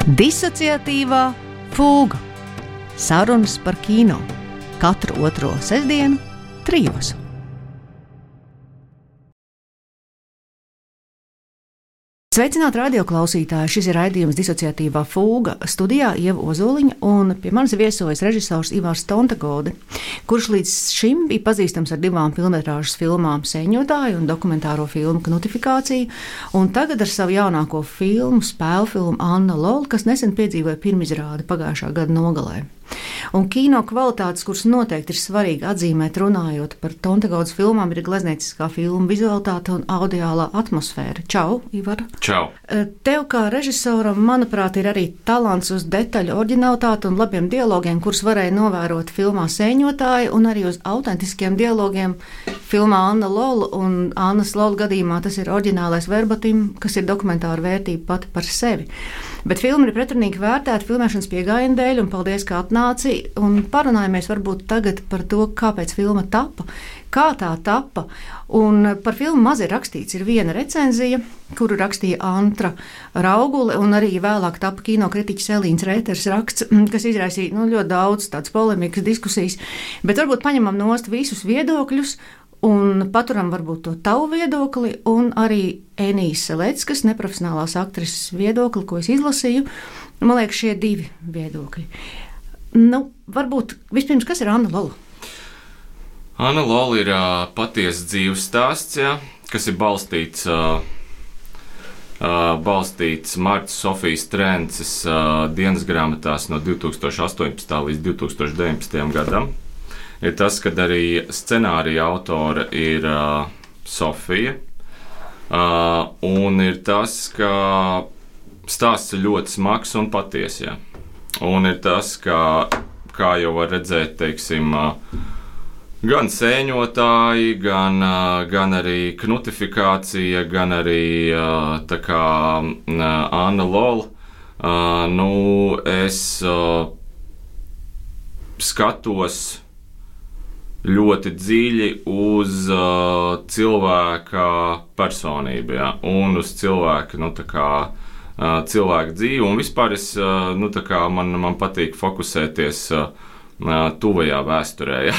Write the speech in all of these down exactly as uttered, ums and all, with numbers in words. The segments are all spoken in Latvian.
Disociatīvā fūga. Sarunas par kino. Katru otro sestdienu, trijos. Sveicināti radioklausītāji! Šis ir raidījums Disociatīvā fūga. Studijā Ieva Ozoliņa un pie manis viesojas režisors Ivars Tontegode, kurš līdz šim bija pazīstams ar divām filmmetrāžas filmām Sēņotāju un dokumentāro filmu Knutrifikācija, un tagad ar savu jaunāko filmu, spēļu filmu Anna Lola, kas nesen piedzīvoja pirmizrādi pagājušā gada nogalē. Un kino kvalitātes, kuras noteikti ir svarīgi atzīmēt runājot par Tontegodas filmām, ir gleznieciskā filma vizualitāte un audiālā atmosfēra. Čau, Ivar! Čau! Tev kā režisoram, manuprāt, ir arī talants uz detaļu oriģinalitāti un labiem dialogiem, kurus varēja novērot filmā Sēņotāji, un arī uz autentiskiem dialogiem filmā Anna Lola, un Annas Lola gadījumā tas ir oriģinālais verbatim, kas ir dokumentāra vērtība pati par sevi. Bet filma ir pretrunīgi vērtēta filmēšanas pieejama dēļ, un paldies, ka atnāci, un parunājamies varbūt tagad par to, kāpēc filma tapa, kā tā tapa, un par filmu maz ir rakstīts. Ir viena recenzija, kuru rakstīja Antra Raugule, un arī vēlāk tapa kinokritiķis Elīns Rēters raksts, kas izraisīja nu, ļoti daudz tādas polemikas diskusijas, bet varbūt paņemam nost visus viedokļus, un paturam varbūt to tavu viedokli, un arī Enijas Seleckas, neprofesionālās aktrises viedokli, ko es izlasīju. Man liekas, šie divi viedokļi. Nu, varbūt vispirms, kas ir Anna Lola? Anna Lola ir uh, patiesa dzīves stāsts, ja, kas ir balstīts, uh, uh, balstīts Martas Sofijas Trences uh, dienas grāmatās no divi tūkstoši astoņpadsmitā līdz divi tūkstoši deviņpadsmitajam gadam. Ir tas, ka arī scenārija autore ir uh, Sofija, uh, un ir tas, ka stāsts ir ļoti smags un patiess. Ja. Un ir tas, ka, kā jau var redzēt, teiksim, uh, gan Sēņotāji, gan, uh, gan arī Knutrifikācija, gan arī uh, tā kā uh, Anna Lola. Uh, nu, es uh, skatos ļoti dziļi uz uh, cilvēka personību, ja, un uz cilvēka, nu, tā kā, uh, cilvēka dzīvi. Un vispār es, uh, nu, tā kā man, man patīk fokusēties uh, tuvajā vēsturē, ja.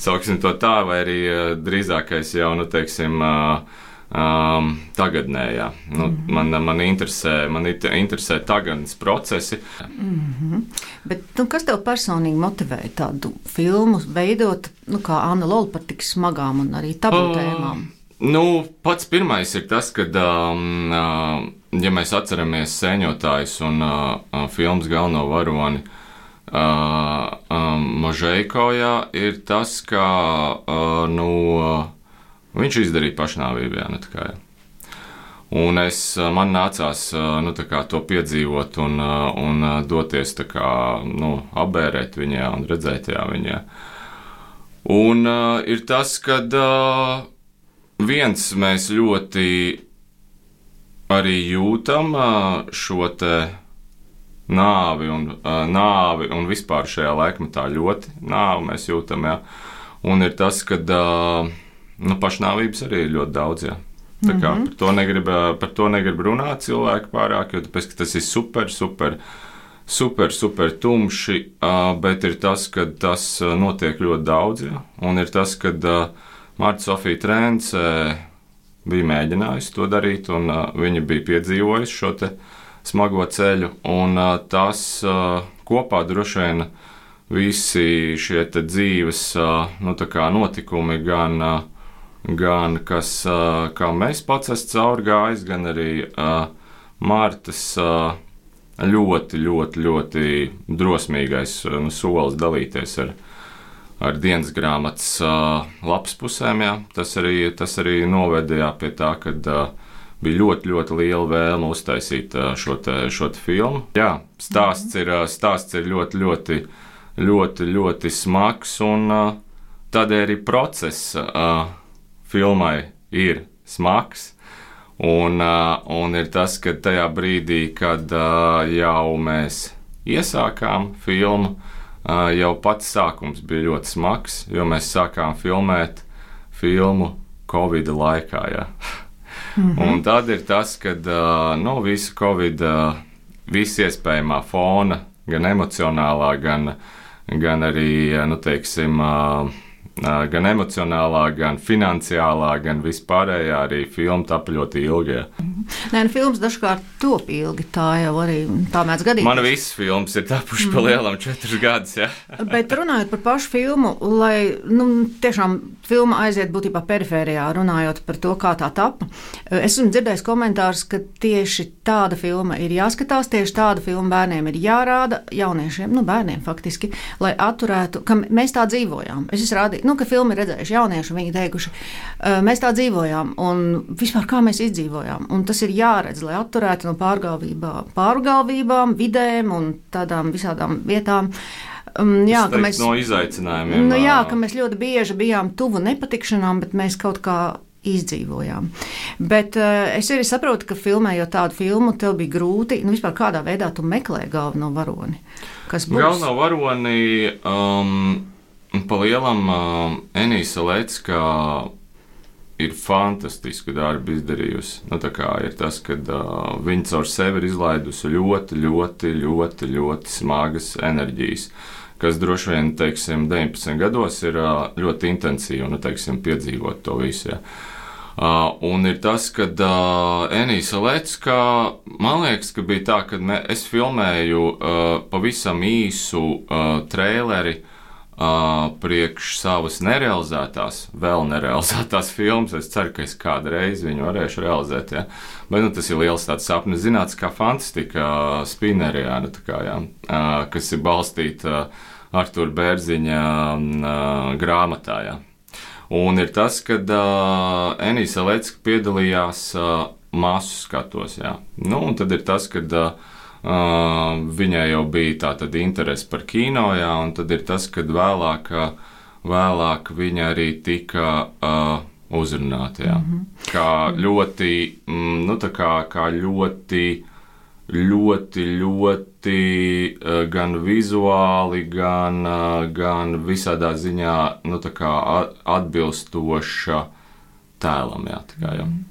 Sauksim to tā, vai arī uh, drīzākais jau, nu, teiksim, uh, um, tagadnē, ja. Nu, mm-hmm. man, man interesē, man interesē tagadnes procesi. Mm-hmm. Bet, nu, kas tev personīgi motivēja tādu filmu veidot, nu, kā Anna Lola par tik smagām un arī tabu uh, tēmām? Nu, pats pirmais ir tas, ka, um, uh, ja mēs atceramies Sēņotājus un uh, filmas galveno varoni uh, um, Možeiko, jā, ir tas, ka, uh, nu, uh, viņš izdarīja pašnāvību, jā, ne tā kā, jā. Un es, man nācās nu, tā kā, to piedzīvot un, un doties tā kā, nu, apbērēt viņā un redzēt jā, viņā. Un uh, ir tas, ka uh, viens mēs ļoti arī jūtam uh, šo te nāvi un, uh, nāvi un vispār šajā laikmetā ļoti nāvi mēs jūtam. Jā. Un ir tas, ka uh, nu, pašnāvības arī ir ļoti daudz. Jā. Tā kā par to negrib, par to negrib runāt cilvēki pārāk, jo tāpēc, ka tas ir super, super, super, super tumši, bet ir tas, ka tas notiek ļoti daudz, ja? Un ir tas, ka Marta Sofija Trence bija mēģinājusi to darīt, un viņa bija piedzīvojusi šo te smago ceļu, un tas kopā droši vien visi šie te dzīves, nu, tā kā notikumi gan gan kas, kā mēs pats esam cauri gājis, gan arī uh, Martas uh, ļoti, ļoti, ļoti drosmīgais uh, solis dalīties ar, ar dienas grāmatas uh, lapspusēm. Jā. Tas arī, tas arī noveda jā, pie tā, ka uh, bija ļoti, ļoti liela vēlme uztaisīt uh, šo, te, šo te filmu. Jā, stāsts ir, uh, stāsts ir ļoti, ļoti, ļoti, ļoti smags, un uh, tādēļ arī process uh, filmai ir smags, un, uh, un ir tas, ka tajā brīdī, kad uh, jau mēs iesākām filmu, uh, jau pats sākums bija ļoti smags, jo mēs sākām filmēt filmu Covid laikā. Ja. Mm-hmm. Un tad ir tas, kad uh, no visa Covid uh, visa iespējamā fona, gan emocionālā, gan, gan arī, nu, teiksim, gan emocionālā, gan finansiālā, gan vispārējā arī filma tapa ļoti ilgi. Ja. Nē, nu, filmas dažkārt top ilgi, tā jau arī tā mēdz gadīt. Man visas filmas ir tapuši mm. pa lielam četrus gadus, ja. Bet runājot par pašu filmu, lai, nu, tiešām filma aiziet būtībā perifērijā, runājot par to, kā tā tapa, es esmu dzirdējis komentārus, ka tieši tāda filma ir jāskatās, tieši tāda filma bērniem ir jārāda, jauniešiem, nu, bērniem faktiski, lai atturētu, ka mēs tā dzīvojām. Es esmu rādīju, nu, ka filmu ir redzējuši jaunieši, viņi teikuši, mēs tā dzīvojām, un vispār kā mēs izdzīvojām. Un tas ir jāredz, lai atturētu no pārgalvībā, pārgalvībām, vidēm un tādām visādām vietām. Um, jā, ka mēs, no izaicinājumiem. Nu, jā, ka mēs ļoti bieži bijām tuvu nepatikšanām, bet mēs kaut kā izdzīvojām. Bet uh, es arī saprotu, ka filmējot tādu filmu, tev bija grūti, nu vispār kādā veidā tu meklē galveno varoni. Kas būs? Galveno varoni um, pa lielam um, Enīsa Lecka ir fantastisku darbu izdarījusi. Nu, tā kā ir tas, ka uh, viņa caur sevi ir izlaidusi ļoti, ļoti, ļoti, ļoti smagas enerģijas, kas droši vien, teiksim, deviņpadsmit gados ir uh, ļoti intensīvi, nu, teiksim, piedzīvot to visu. Ja. Uh, un ir tas, ka uh, Enīsa Lecka, man liekas, ka bija tā, ka mē, es filmēju uh, pavisam īsu uh, traileri Uh, priekš savas nerealizētās, vēl nerealizētās filmas. Es ceru, ka es kādreiz viņu varēšu realizēt. Ja. Bet nu, tas ir liels tāds sapnis, zināts, kā fantastika uh, Spinnerijā, nu, tā kā, ja, uh, kas ir balstīta uh, Artūra Bērziņa uh, grāmatā. Ja. Un ir tas, kad uh, Enīsa Lecka piedalījās uh, masu skatos. Ja. Nu, un tad ir tas, kad uh, Uh, viņai jau bija tā tad interese par kino, jā, un tad ir tas, kad vēlāk, vēlāk viņa arī tika uh, uzrunāta, jā. Mm-hmm. Kā ļoti, mm, nu tā kā, kā ļoti, ļoti, ļoti uh, gan vizuāli, gan, uh, gan visādā ziņā, nu tā kā atbilstoša tēlam, jā, tā kā, jā. Mm-hmm.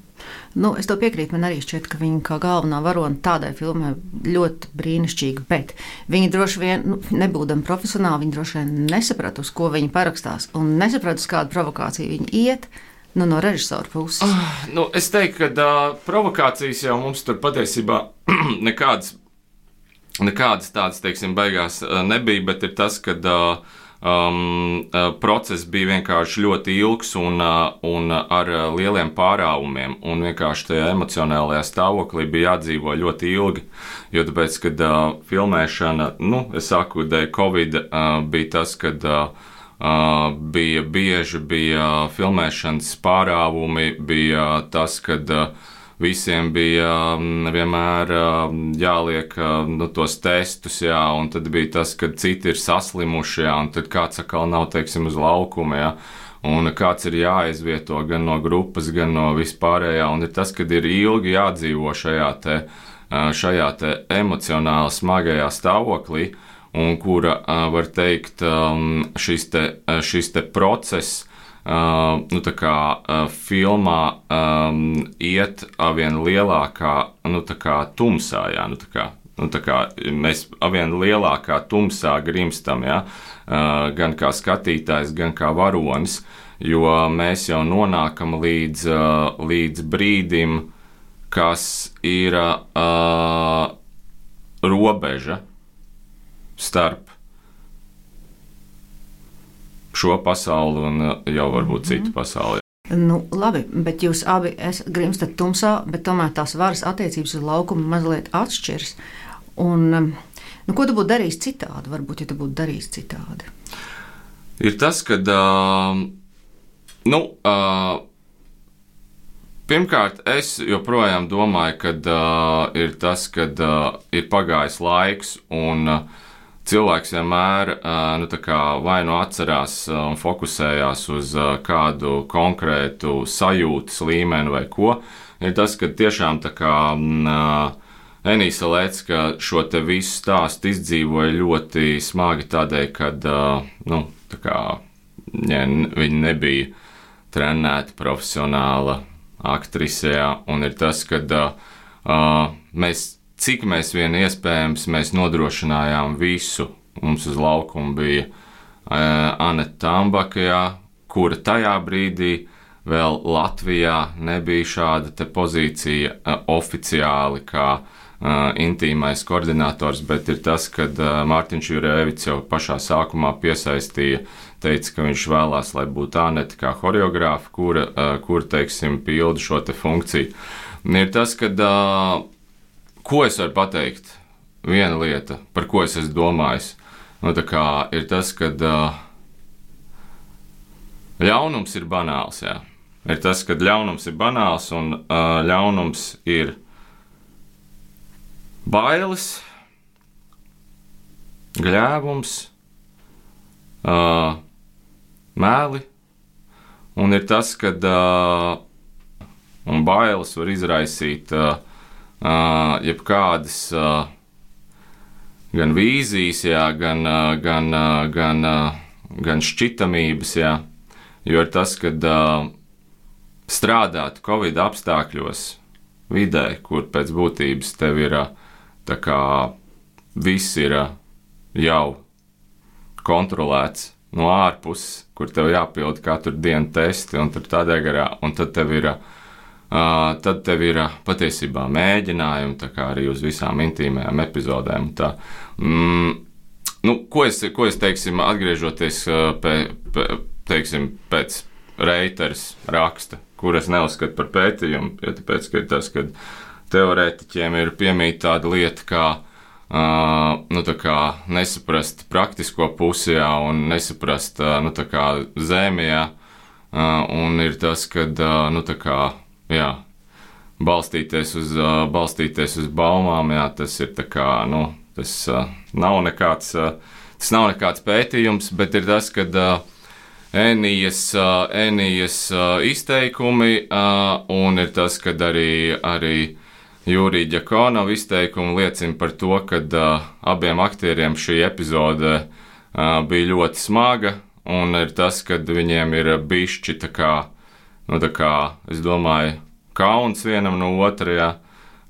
Nu, es to piekrītu, man arī šķiet, ka viņa kā galvenā varone tādai filmai ļoti brīnišķīga, bet viņa droši vien, nu, nebūdama profesionāli, viņa droši vien nesaprata, uz ko viņa parakstās, un nesaprata, uz kādu provokāciju viņa iet, nu, no režisora puses. Uh, nu, es teiktu, ka uh, provokācijas jau mums tur patiesībā nekādas, nekādas tādas, teiksim, beigās uh, nebija, bet ir tas, ka uh, Um, process bija vienkārši ļoti ilgs un, un ar lieliem pārāvumiem, un vienkārši tajā emocionālajā stāvoklī bija jādzīvo ļoti ilgi, jo tāpēc, kad uh, filmēšana, nu, es saku, dēļ Covid uh, bija tas, kad uh, bija bieži bija filmēšanas pārāvumi, bija tas, kad uh, visiem bija vienmēr jāliek nu, tos testus, jā, un tad bija tas, ka citi ir saslimuši, jā, un tad kāds atkal nav, teiksim, uz laukuma, jā, un kāds ir jāizvieto gan no grupas, gan no vispārējā, un ir tas, kad ir ilgi jādzīvo šajā te, šajā te emocionāli smagajā stāvoklī, un kura, var teikt, šis te, šis te process, Uh, nu, tā kā uh, filmā um, iet arvien lielākā, nu, tā kā tumsā, jā, nu, tā kā, nu, tā kā mēs arvien lielākā tumsā grimstam, jā, uh, gan kā skatītājs, gan kā varonis, jo mēs jau nonākam līdz, uh, līdz brīdim, kas ir uh, robeža starp šo pasauli un jau varbūt citu pasauli. Nu, labi, bet jūs abi grimstat tumsā, bet tomēr tās varas attiecības uz laukumu mazliet atšķiras. Un, nu, ko tu būtu darījis citādi? Varbūt, ja tu būtu darījis citādi. Ir tas, ka, uh, nu, uh, pirmkārt, es joprojām domāju, ka uh, ir tas, ka uh, ir pagājis laiks un uh, cilvēks vienmēr nu, vai nu atcerās un fokusējās uz kādu konkrētu sajūtas līmeni vai ko. Ir tas, ka tiešām tā kā Enīsa Lecka šo te visu stāstu izdzīvoja ļoti smagi tādēļ, kad nu, tā kā, ja, viņa nebija trenēta profesionāla aktrisē, un ir tas, ka mēs cik mēs vien iespējams mēs nodrošinājām visu. Mums uz laukuma bija uh, Aneta Tambaka, jā, kura tajā brīdī vēl Latvijā nebija šāda te pozīcija uh, oficiāli kā uh, intīmais koordinators, bet ir tas, kad uh, Mārtiņš Jurēvics jau pašā sākumā piesaistīja, teica, ka viņš vēlās, lai būtu Aneta kā horeogrāfa, kura, uh, kur, teiksim, pilda šo te funkciju. Un ir tas, kad, uh, ko es varu pateikt, viena lieta, par ko es esmu domājis, nu tā kā ir tas, kad uh, ļaunums ir banāls, jā. Ir tas, ka ļaunums ir banāls un uh, ļaunums ir bailes, gļēvums, uh, mēli, un ir tas, ka uh, un bailes var izraisīt uh, uh, jebkādas uh, gan vīzijas, jā, gan, uh, gan, uh, gan, uh, gan šķitamības, jā, jo ir tas, ka uh, strādāt Covid apstākļos vidē, kur pēc būtības tev ir tā kā viss ir jau kontrolēts no ārpuses, kur tev jāpild katru dienu testi un tur tādā garā, un tad tev ir, uh, tad tev ir patiesībā mēģinājumi, tā kā arī uz visām intīmajām epizodēm. Tā. Mm, nu, ko es, ko es teiksim, atgriežoties pē, pē, teiksim, pēc Reiters raksta, kuras neuzskatu par pētījumu, jo tāpēc, ka ir tas, ka teorētiķiem ir piemīt tāda lieta, kā, uh, nu, tā kā nesaprast praktisko pusi, jā, un nesaprast, uh, nu, tā kā zēmijā, uh, un ir tas, ka, uh, nu, tā kā, jā, balstīties uz, uh, balstīties uz baumām, jā, tas ir tā kā, nu, tas uh, nav nekāds, uh, tas nav nekāds pētījums, bet ir tas, ka, uh, Enijas, Enijas izteikumi, un ir tas, ka arī, arī Jurija Ģakonova izteikumi liecina par to, ka abiem aktieriem šī epizode bija ļoti smaga, un ir tas, ka viņiem ir bišķi tā kā, nu tā kā, es domāju, kauns vienam no otrajā,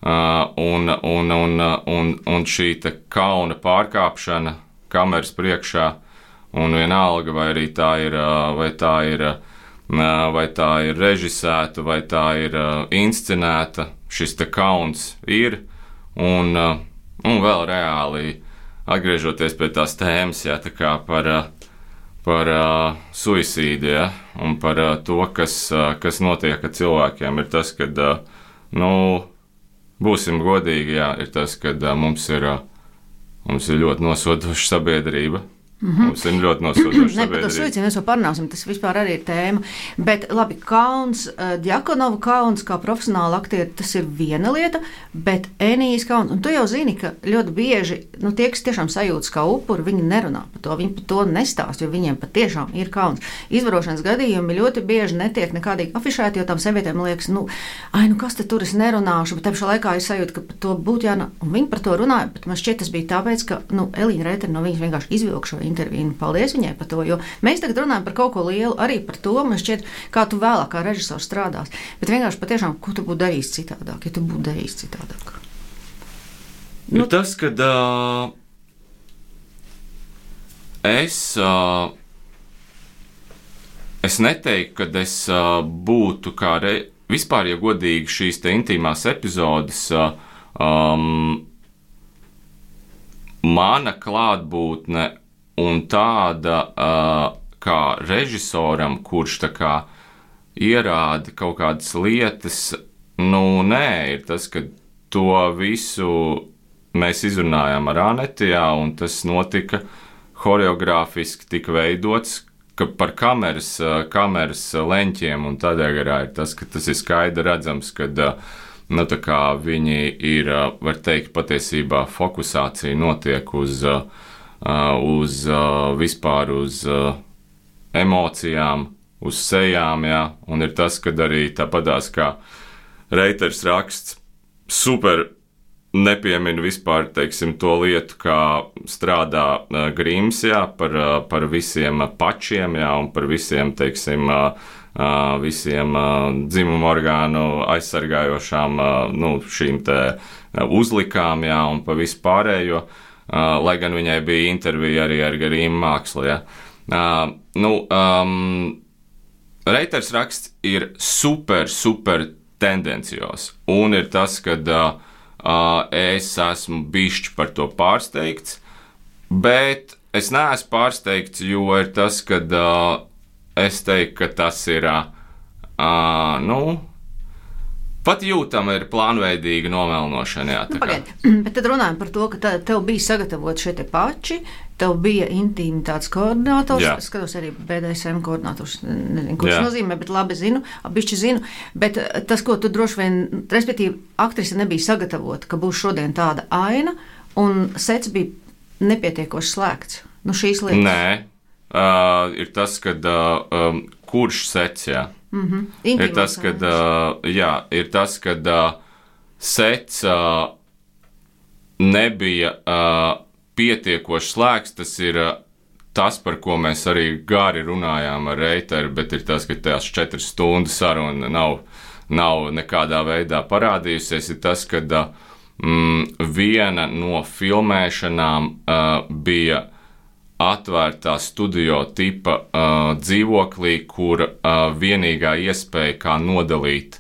un, un, un, un, un šī tā kauna pārkāpšana kameras priekšā. Un vienalga, vai arī tā ir, vai tā ir, vai tā ir režisēta, vai tā ir inscenēta, šis te kauns ir, un, un vēl reāli atgriežoties pie tās tēmas, jā, tā kā par, par uh, suicīdu, jā, un par uh, to, kas, uh, kas notiek ar cilvēkiem, ir tas, ka, uh, nu, būsim godīgi, jā, ir tas, ka uh, mums ir, uh, mums ir ļoti nosodoša sabiedrība. Mm-hmm. Mums ir ļoti nosodoši. Ne, par to suicīdu mēs vēl parunāsim, tas vispār arī ir tēma. Bet labi, kauns, Ģakonova kauns kā profesionāla aktieri, tas ir viena lieta, bet Enijas kauns, un tu jau zini, ka ļoti bieži, nu tie, kas tiešām sajūtas kā upuri, viņi nerunā par to, viņi par to nestāst, jo viņiem patiešām ir kauns. Izvarošanas gadījumi ļoti bieži netiek nekādīgi afišēti, jo tam sievietēm liekas, nu, ai, nu kas te tur es nerunāšu, bet tepšā laikā ir sajūta, ka par to būtu jāna, un viņi par to runāja, bet man šķiet tas bija tāpēc, ka, nu, Elīna Reitera no viņas vienkārši izvilka šo interviju. Paldies viņai par to, jo mēs tagad runājam par kaut ko lielu, arī par to, man šķiet, kā tu vēlāk kā režisors strādās. Bet vienkārši patiešām, ko tu būtu darījis citādāk, ja tu būtu darījis citādāk? Nu, ir tas, kad uh, es, uh, es neteiktu, kad es uh, būtu kā re... vispār, ja godīgi šīs te intīmās epizodes, uh, um, mana klātbūtne un tāda uh, kā režisoram, kurš tā kā ierāda kaut kādas lietas, nu nē, ir tas, ka to visu mēs izrunājām ar Anetu, jā, un tas notika horeogrāfiski tika veidots, ka par kameras, kameras leņķiem un tādā garā ir tas, ka tas ir skaidri redzams, ka nu, tā kā viņi ir, var teikt, patiesībā fokusācija notiek uz Uh, uz uh, vispār uz uh, emocijām, uz sejām, jā, un ir tas, kad arī tāpatās kā Reiters raksts super nepiemina vispār, teiksim, to lietu, kā strādā uh, Grims, jā, par, uh, par visiem pačiem, jā, un par visiem, teiksim, uh, uh, visiem uh, dzimumu orgānu aizsargājošām uh, nu, šīm te uzlikām, jā, un pa visu pārējo, uh, lai gan viņai bija intervija arī ar Garīmu Mākslu, jā. Uh, nu, um, Reiters raksts ir super, super tendencios, un ir tas, kad uh, uh, es esmu bišķi par to pārsteigts, bet es neesmu pārsteigts, jo ir tas, kad uh, es teiktu, ka tas ir, uh, nu, pat jūtama ir plānveidīga nomelnošana, jā. Nu, pagaid, bet tad runājam par to, ka tev bija sagatavot šie te pači, tev bija intīmitātes koordinators, es skatos arī B D S M koordinators, nezinu, ko tas nozīmē, bet labi zinu, bišķi zinu, bet tas, ko tu droši vien, respektīvi, aktrise nebija sagatavota, ka būs šodien tāda aina, un sets bija nepietiekoši slēgts. Nu, šīs lietas. Nē, uh, ir tas, kad uh, um, kurš sets, jā. Mm-hmm. Ir tas, kad, uh, jā, ir tas, kad uh, sets uh, nebija uh, pietiekoši slēgts, tas ir uh, tas, par ko mēs arī gari runājām ar Reiteru, bet ir tas, ka tās četras stundas saruna nav, nav nekādā veidā parādījusies, ir tas, kad uh, mm, viena no filmēšanām uh, bija atvērtā studio tipa uh, dzīvoklī, kur uh, vienīgā iespēja, kā nodalīt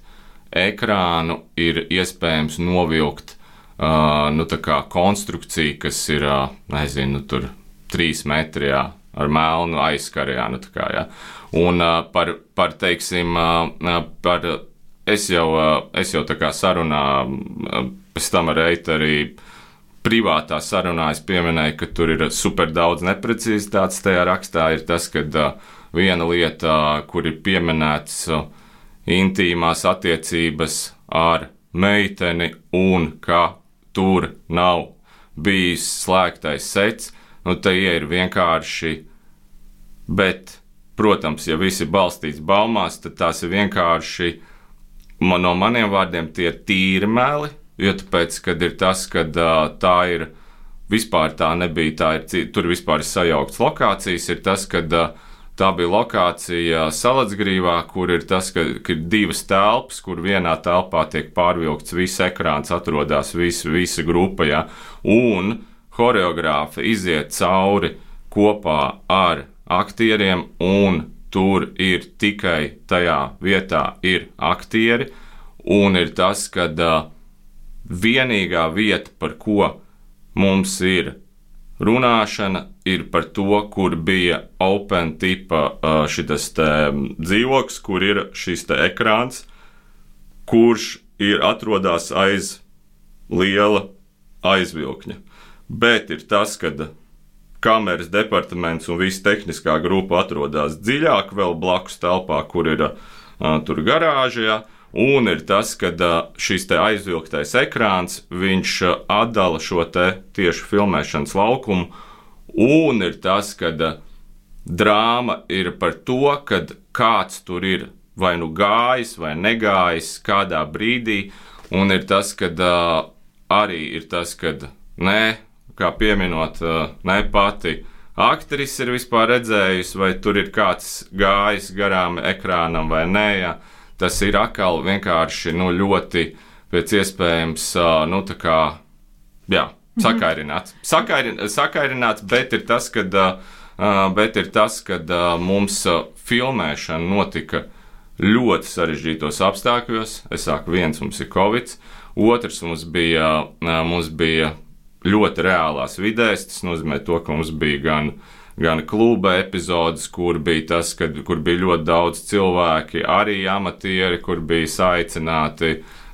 ekrānu, ir iespējams novilkt uh, nu, tā kā konstrukciju, kas ir, uh, nezinu, tur trīs metri, jā, ar melnu aizskaru, jā, nu tā kā, jā. Un uh, par, par, teiksim, uh, par, es jau, uh, es jau tā kā sarunā, uh, pēc tam ar Reiteru privātā sarunā es pieminēju, ka tur ir super daudz neprecizitātes tajā rakstā, ir tas, ka uh, viena lieta, uh, kur ir pieminēts uh, intīmās attiecības ar meiteni un ka tur nav bijis slēgtais sets, nu te ir vienkārši, bet, protams, ja viss ir balstīts baumās, tad tās ir vienkārši, man, no maniem vārdiem, tie ir tīri meli, jo tāpēc, kad ir tas, kad uh, tā ir, vispār tā nebija, tā ir, tur vispār ir sajauktas lokācijas, ir tas, kad uh, tā bija lokācija Salatsgrīvā, kur ir tas, ka, ka ir divas telpas, kur vienā telpā tiek pārvilkts viss ekrāns, atrodas visa, visa grupa, ja, un horeogrāfa iziet cauri kopā ar aktieriem, un tur ir tikai tajā vietā ir aktieri, un ir tas, kad uh, vienīgā vieta, par ko mums ir runāšana, ir par to, kur bija open tipa šitas te dzīvoklis, kur ir šis te ekrāns, kurš ir atrodās aiz liela aizvilkņa. Bet ir tas, kad kameras departaments un visa tehniskā grupa atrodās dziļāk vēl blakus telpā, kur ir uh, tur garāžajā. Un ir tas, ka šis te aizvilktais ekrāns, viņš atdala šo te tieši filmēšanas laukumu, un ir tas, ka drāma ir par to, kad kāds tur ir vai nu gājis vai negājis kādā brīdī, un ir tas, ka arī ir tas, ka nē, kā pieminot, ne pati aktrise ir vispār redzējusi, vai tur ir kāds gājis garām ekrānam vai nē, jā. Tas ir atkal vienkārši nu, ļoti pēc iespējams, nu, tā kā, jā, sakairināts. Sakairin, sakairināts, bet ir tas, kad, bet ir tas, kad mums filmēšana notika ļoti sarežģītos apstākļos. Es saku, viens mums ir Covid, otrs mums bija, mums bija ļoti reālās vidēs. Tas nozīmē to, ka mums bija gan gan kluba epizodes, kur bija tas, kad, kur bija ļoti daudz cilvēki, arī amatieri, kur bija saicināti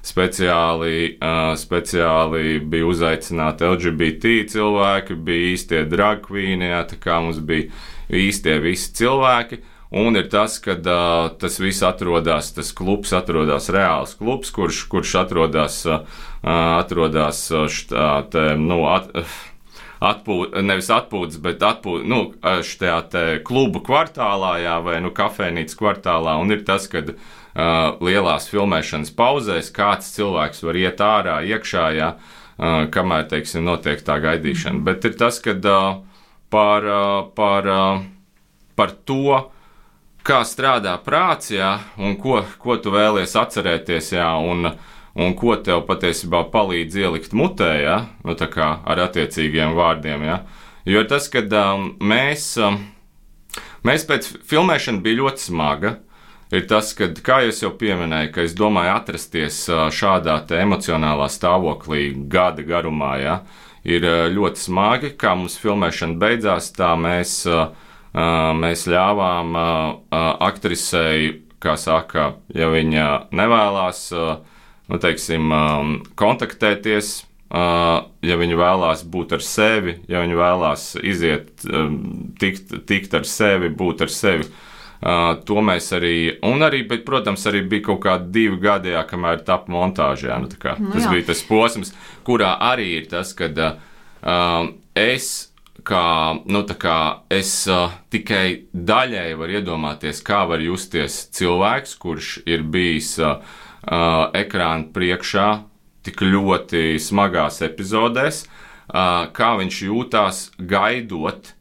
speciāli, uh, speciāli bija uzaicināti L G B T cilvēki, bija īstie drag queeni, jā, tā kā mums bija īstie visi cilvēki, un ir tas, kad uh, tas viss atrodas, tas klubs atrodas reāls klubs, kurš, kurš atrodas, uh, atrodas štā, te, nu, at, Atpūt, nevis atpūtas, bet atpūt, nu, šajā te klubu kvartālā, jā, vai nu kafejnīcas kvartālā, un ir tas, kad uh, lielās filmēšanas pauzēs kāds cilvēks var iet ārā, iekšā, jā, uh, kamēr, teiksim, notiek tā gaidīšana. Bet ir tas, kad uh, par, uh, par, uh, par to, kā strādā prāts, jā, un ko, ko tu vēlies atcerēties, jā, un, un ko tev patiesībā palīdz ielikt mutē, jā, nu tā kā ar attiecīgiem vārdiem, jā. Jo tas, kad um, mēs, um, mēs pēc filmēšana bija ļoti smaga, ir tas, ka, kā es jau pieminēju, ka es domāju atrasties šādā te emocionālā stāvoklī gada garumā, jā, ir ļoti smagi, kā mums filmēšana beidzās, tā mēs Mēs ļāvām aktrisei, kā saka, ja viņa nevēlās, nu, teiksim, kontaktēties, ja viņa vēlās būt ar sevi, ja viņa vēlās iziet, tikt, tikt ar sevi, būt ar sevi, to mēs arī, un arī, bet, protams, arī bija kaut kādi divi gadi, jā, kamēr tap montāžā, nu, tā kā, tas nu, bija tas posms, kurā arī ir tas, kad es kā, nu, tā kā es uh, tikai daļēji varu iedomāties, kā var justies cilvēks, kurš ir bijis uh, uh, ekrāna priekšā tik ļoti smagās epizodēs, uh, kā viņš jūtās gaidot,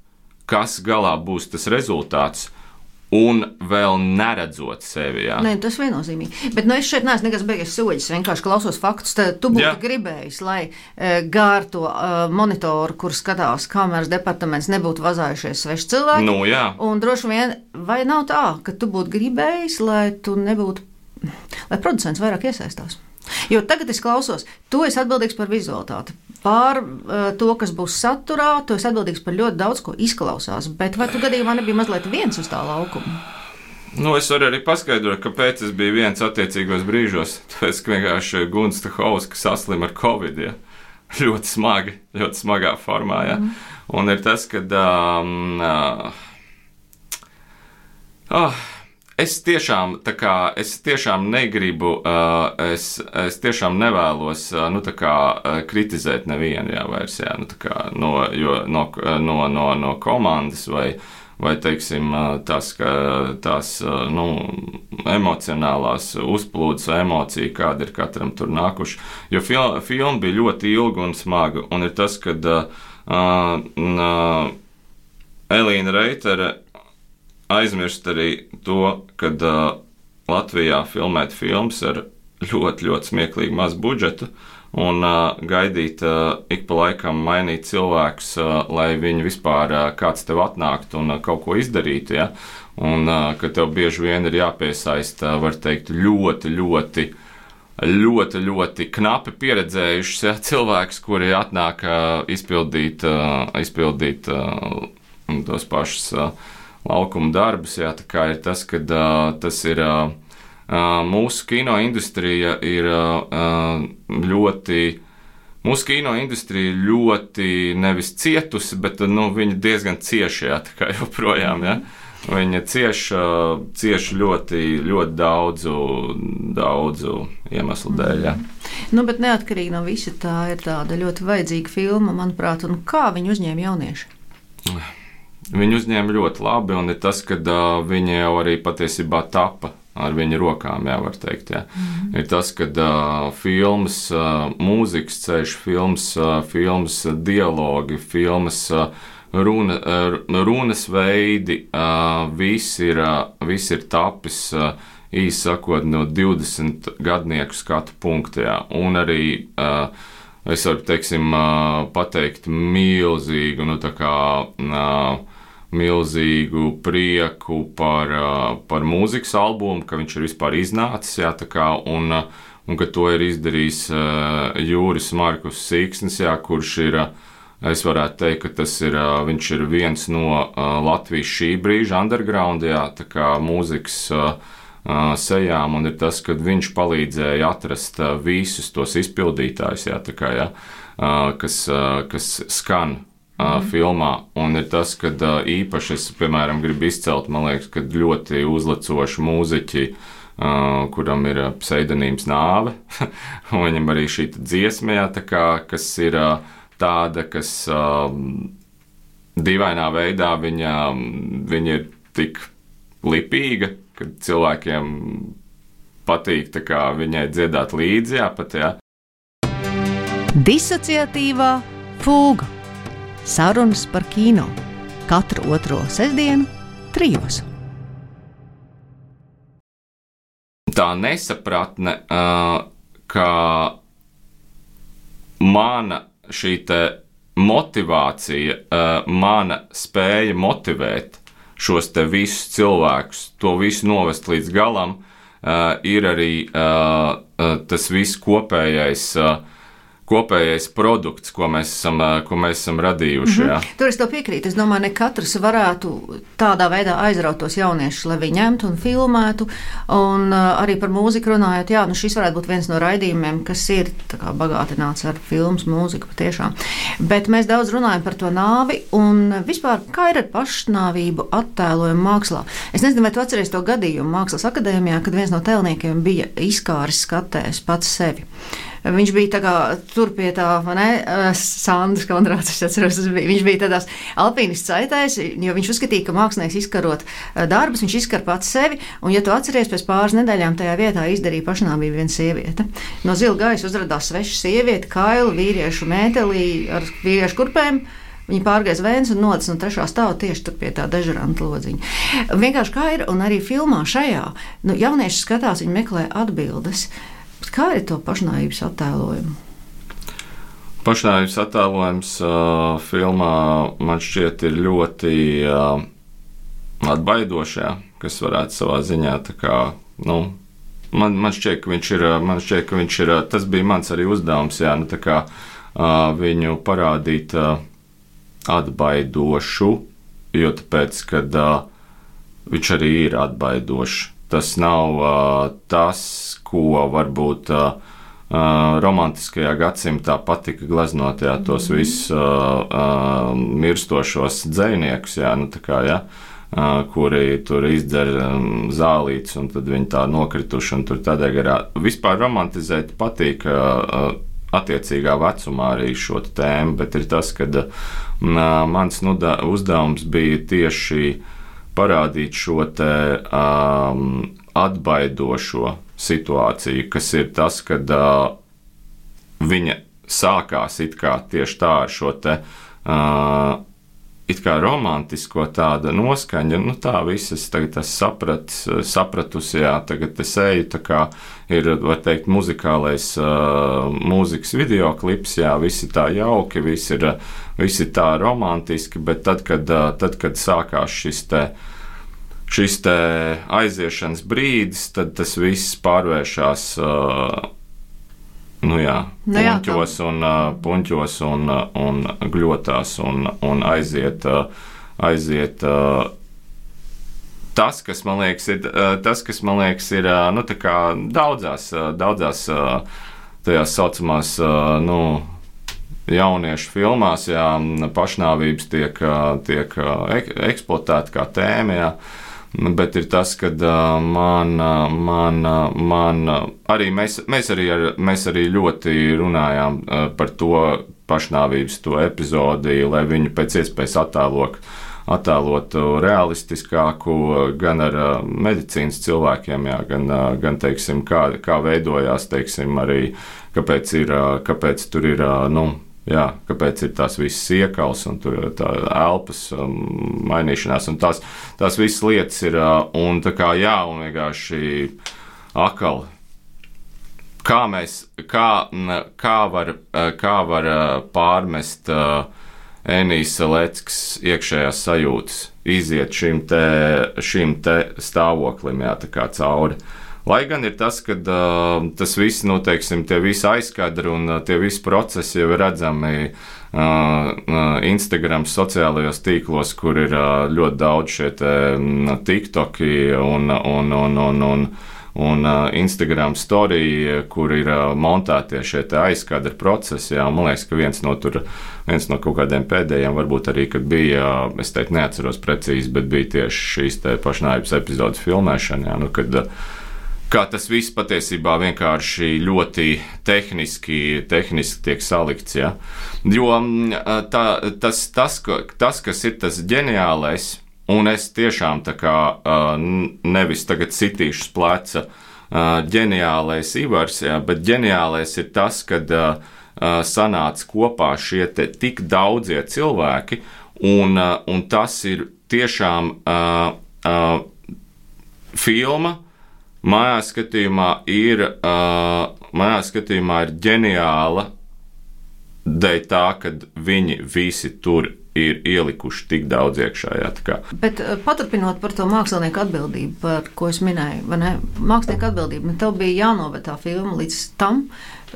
kas galā būs tas rezultāts. Un vēl neredzot sevi, jā. Nē, tas viennozīmīgi. Bet nu, es šeit neesmu nekas beigas soļus, vienkārši klausos faktus. Tad tu būtu jā. gribējis, lai e, gār to e, monitoru, kur skatās kameras departaments, nebūtu vazājušies sveši cilvēki. Nu, jā. Un droši vien, vai nav tā, ka tu būtu gribējis, lai tu nebūtu, lai producents vairāk iesaistās? Jo tagad es klausos, tu esi atbildīgs par vizualitāti. Pār uh, to, kas būs saturā, tu esi atbildīgs par ļoti daudz, ko izklausās. Bet vai tu gadījumā nebija mazliet viens uz tā laukuma? Nu, es varu arī paskaidrot, kāpēc es biju viens attiecīgos brīžos. Tāpēc, ka vienkārši Gunts Stahovs, kas saslim ar Covid, ja? Ļoti smagi, ļoti smagā formā. Ja? Mm. Un ir tas, ka um, uh, oh, es tiešām, tā kā, es tiešām negribu, uh, es, es tiešām nevēlos, uh, nu, tā kā, uh, kritizēt nevienu, jā, vairs, jā, nu, tā kā, no, jo, no, no, no, no komandas vai, vai, teiksim, uh, tās, ka, tās, uh, nu, emocionālās uzplūdes vai emocija, kāda ir katram tur nākuši. Jo fil, filma bija ļoti ilga un smaga, un ir tas, kad uh, uh, Elīna Reitere aizmirst arī to, kad uh, Latvijā filmēt filmas ar ļoti, ļoti smieklīgu mazu budžetu un uh, gaidīt uh, ik pa laikam mainīt cilvēkus, uh, lai viņi vispār uh, kāds tev atnāktu un uh, kaut ko izdarītu, ja? Un uh, ka tev bieži vien ir jāpiesaista, var teikt, ļoti, ļoti, ļoti, ļoti knapi pieredzējušs, ja? Cilvēks, kuri atnāk uh, izpildīt, uh, izpildīt uh, tos pašus uh, laukuma darbus, jā, tā kā ir tas, ka uh, tas ir uh, mūsu kino industrija ir uh, ļoti, mūsu kino industrija ļoti nevis cietusi, bet nu, viņa diezgan cieši, jā, tā kā joprojām, jā. Viņa cieši, uh, cieši ļoti, ļoti daudzu, daudzu iemeslu dēļ, jā. Nu, bet neatkarīgi no visa tā ir tāda ļoti vajadzīga filma, manuprāt, un kā viņu uzņēma jaunieši? Viņu uzņēma ļoti labi, un ir tas, ka uh, viņi jau arī patiesībā tapa ar viņu rokām, jā, var teikt, jā. Mm-hmm. Ir tas, ka uh, filmas, uh, mūzikas ceļš, filmas, uh, filmas dialogi, filmas uh, runa, uh, runas veidi, uh, viss ir, uh, viss ir tapis, uh, īsi sakot, no divdesmit gadnieku skatu punktu, jā, un arī uh, es varu, teiksim, uh, pateikt milzīgu, nu tā kā uh, milzīgu prieku par, par mūzikas albumu, ka viņš ir vispār iznācis, jā, tā kā, un, un ka to ir izdarījis Jūris Markus Sīksnis, jā, kurš ir, es varētu teikt, ka tas ir, viņš ir viens no Latvijas šī brīža underground, jā, tā kā mūzikas sejām, un ir tas, ka viņš palīdzēja atrast visus tos izpildītājus, jā, tā kā, jā, kas, kas skan Uh, filmā, un ir tas, ka uh, īpaši es, piemēram, gribu izcelt, man liekas, ka ļoti uzlecoši mūziķi, uh, kuram ir uh, pseidonīms Nāve, un viņam arī šī dziesma, jā, tā kā, kas ir uh, tāda, kas uh, dīvainā veidā viņa, viņa ir tik lipīga, ka cilvēkiem patīk tā kā viņai dziedāt līdzi, jā, pat, jā. Disociatīvā fūga. Sarunas par kino katru otro sestdienu trijos. tā nesapratne, ka mana šī te motivācija, mana spēja motivēt šos te visus cilvēkus, to visu novest līdz galam, ir arī tas viss kopējais kopējais produkts, ko mēs esam, ko mēs esam radījuši. Jā. Mm-hmm. Tur es tev piekrītu. Es domāju, ne katrs varētu tādā veidā aizraut tos jauniešus, lai viņi ņemtu un filmētu. Un uh, arī par mūziku runājot, jā, nu šis varētu būt viens no raidījumiem, kas ir tā kā bagātināts ar filmas mūziku patiešām. Bet mēs daudz runājam par to nāvi un vispār, kā ir ar pašnāvību attēlojumu mākslā. Es nezinu, vai tu atceries to gadījumu Mākslas akadēmijā, kad viens no tēlniekiem bija izkāris skatējis pats sevi. Viņš bija tā kā tur pie tā, vai ne, Sandrs Kondrāts, es atceros, viņš bija tādās alpīnists saitēs, jo viņš uzskatīja, ka mākslinieks izkarot darbus, viņš izkar pats sevi, un ja tu atceries, pēc pāris nedēļām tajā vietā izdarīja pašnāvību viena sieviete. No zila gaisa uzradās sveša sieviete, kaila, vīriešu mētelī ar vīriešu kurpēm. Viņi pārgāja vēns un nodas no trešā stāva tieši tur pie tā dežuranta lodziņa. Vienkārši kā ir, un arī filmā šajā, nu, jaunieši skatās, viņi meklē atbildes. Kā ir to pašnāvības attēlojumu? Pašnāvības attēlojums uh, filmā man šķiet ir ļoti uh, atbaidošajā, kas varētu savā ziņā tā kā, nu, man, man šķiet, ka viņš ir, man šķiet, ka viņš ir, tas bija mans arī uzdevums, jā, nu tā kā uh, viņu parādīt uh, atbaidošu, jo tāpēc, kad uh, viņš arī ir atbaidošs. Tas nav uh, tas, ko varbūt uh, uh, romantiskajā gadsimtā patika gleznot, jā, tos visus uh, uh, mirstošos dzejniekus, jā, nu tā kā, jā, uh, kuri tur izdzer um, zālītes un tad viņi tā nokrituši un tur tādā garā. Vispār romantizēt patīk uh, attiecīgā vecumā arī šo tēmu, bet ir tas, ka uh, mans nuda, uzdevums bija tieši parādīt šo te um, atbaidošo situāciju, kas ir tas, kad uh, viņa sākās it kā tieši tā ar šo te uh, it kā romantisko tādu noskaņu, nu tā visas tagad es saprat, sapratusi, jā, tagad es eju, tā kā ir, var teikt, muzikālais uh, mūzikas videoklips, jā, visi tā jauki, visi ir, visi tā romantiski, bet tad, kad, uh, tad, kad sākās šis te šis te aiziešanas brīdis, tad tas viss pārvēršās uh, nu jā, nu jā, puņķos, un, uh, puņķos un, uh, un gļotās un, un aiziet, uh, aiziet uh, tas, kas man liekas ir, uh, tas, kas man liekas ir uh, nu, tā kā daudzās, uh, daudzās uh, tajās saucamās, uh, nu, jauniešu filmās, jā, pašnāvības tiek, tiek eksploatēta kā tēma, jā. Bet ir tas, ka man, man, man arī mēs, mēs, arī ar, mēs arī ļoti runājām par to pašnāvības to epizodi, lai viņu pēc iespējas attēlok, attēlotu realistiskāku gan ar medicīnas cilvēkiem, jā, gan, gan teiksim, kā, kā veidojās, teiksim, arī kāpēc, ir, kāpēc tur ir, nu, jā, kāpēc ir tās visas iekals un tur tā elpas um, mainīšanās un tās, tās visas lietas ir, uh, un tā kā jā, un vienkārši akali. Kā mēs, kā, kā var, kā var pārmest uh, Enijs Saleckas iekšējās sajūtas, iziet šim te, šim te stāvoklim, jā, tā kā cauri. Lai gan ir tas, ka uh, tas viss, nu, teiksim, tie visi aizkadri un uh, tie visi procesi jau ir redzami uh, uh, Instagram sociālajos tīklos, kur ir uh, ļoti daudz šie te um, TikToki un, un, un, un, un, un uh, Instagram story, kur ir uh, montētie šie te aizkadri procesi. Jā, man liekas, ka viens no, tur, viens no kaut kādiem pēdējiem varbūt arī, kad bija, uh, es teikt, neatceros precīzi, bet bija tieši šīs te pašnāvības epizodes filmēšana, jā, nu, kad uh, kā tas viss patiesībā vienkārši ļoti tehniski, tehniski tiek salikts. Ja? Jo tā, tas, tas, tas, kas ir tas ģeniālais, un es tiešām tā kā nevis tagad sitīšu pleca ģeniālais Ivars, ja? Bet ģeniālais ir tas, kad sanāca kopā šie te tik daudzie cilvēki, un, un tas ir tiešām uh, uh, filma, manā skatījumā ir, uh, manā skatījumā ir ģeniāla dēļ tā, ka viņi visi tur ir ielikuši tik daudz iekšā. Jā, tā kā. Bet paturpinot par to mākslinieku atbildību, par ko es minēju, vai ne? Mākslinieku atbildība, tev bija jānoved tā filma līdz tam,